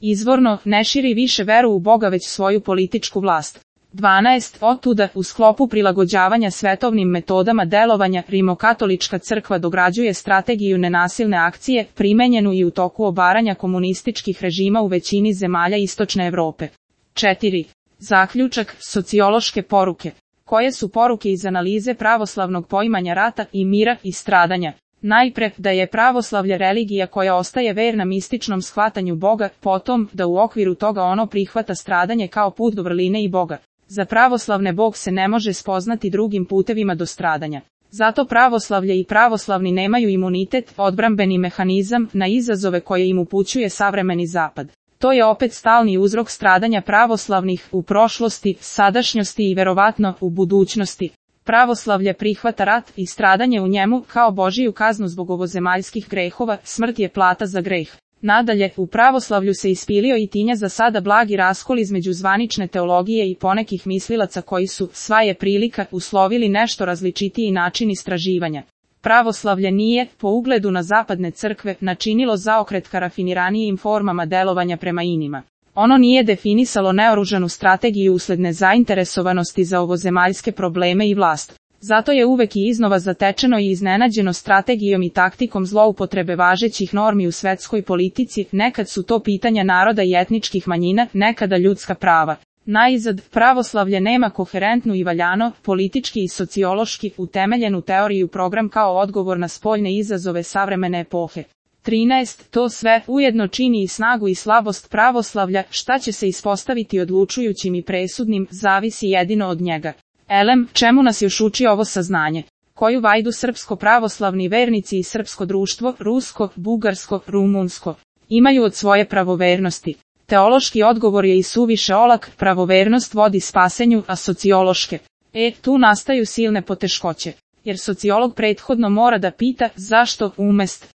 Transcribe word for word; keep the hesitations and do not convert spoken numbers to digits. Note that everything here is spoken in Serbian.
Izvorno, ne širi više veru u Boga već svoju političku vlast. dvanaest. Otuda, u sklopu prilagođavanja svetovnim metodama delovanja, Rimokatolička crkva dograđuje strategiju nenasilne akcije, primenjenu i u toku obaranja komunističkih režima u većini zemalja Istočne Evrope. četiri. Zaključak, sociološke poruke. Koje su poruke iz analize pravoslavnog poimanja rata i mira i stradanja? Najpre, da je pravoslavlje religija koja ostaje verna mističnom shvatanju Boga, potom, da u okviru toga ono prihvata stradanje kao put do vrline i Boga. Za pravoslavne Bog se ne može spoznati drugim putevima do stradanja. Zato pravoslavlje i pravoslavni nemaju imunitet, odbrambeni mehanizam, na izazove koje im upućuje savremeni zapad. To je opet stalni uzrok stradanja pravoslavnih u prošlosti, sadašnjosti i verovatno u budućnosti. Pravoslavlje prihvata rat i stradanje u njemu kao Božiju kaznu zbog ovozemaljskih grehova, smrt je plata za greh. Nadalje, u pravoslavlju se ispilio i tinja za sada blagi raskol između zvanične teologije i ponekih mislilaca koji su, sva je prilika, uslovili nešto različitiji način istraživanja. Pravoslavlje nije, po ugledu na zapadne crkve, načinilo zaokret ka rafiniranijim formama delovanja prema inima. Ono nije definisalo neoružanu strategiju usled nezainteresovanosti za ovozemaljske probleme i vlast. Zato je uvek i iznova zatečeno i iznenađeno strategijom i taktikom zloupotrebe važećih normi u svetskoj politici, nekad su to pitanja naroda i etničkih manjina, nekada ljudska prava. Naizad, pravoslavlje nema koherentnu i valjano, politički i sociološki, utemeljenu teoriju program kao odgovor na spoljne izazove savremene epohe. trinaest. To sve ujedno čini i snagu i slabost pravoslavlja, šta će se ispostaviti odlučujućim i presudnim, zavisi jedino od njega. Elem, čemu nas još uči ovo saznanje? Koju vajdu srpsko-pravoslavni vernici i srpsko društvo, rusko, bugarsko, rumunsko, imaju od svoje pravovernosti? Teološki odgovor je i suviše olak, pravovernost vodi spasenju, a sociološke. E, tu nastaju silne poteškoće. Jer sociolog prethodno mora da pita, zašto, umest.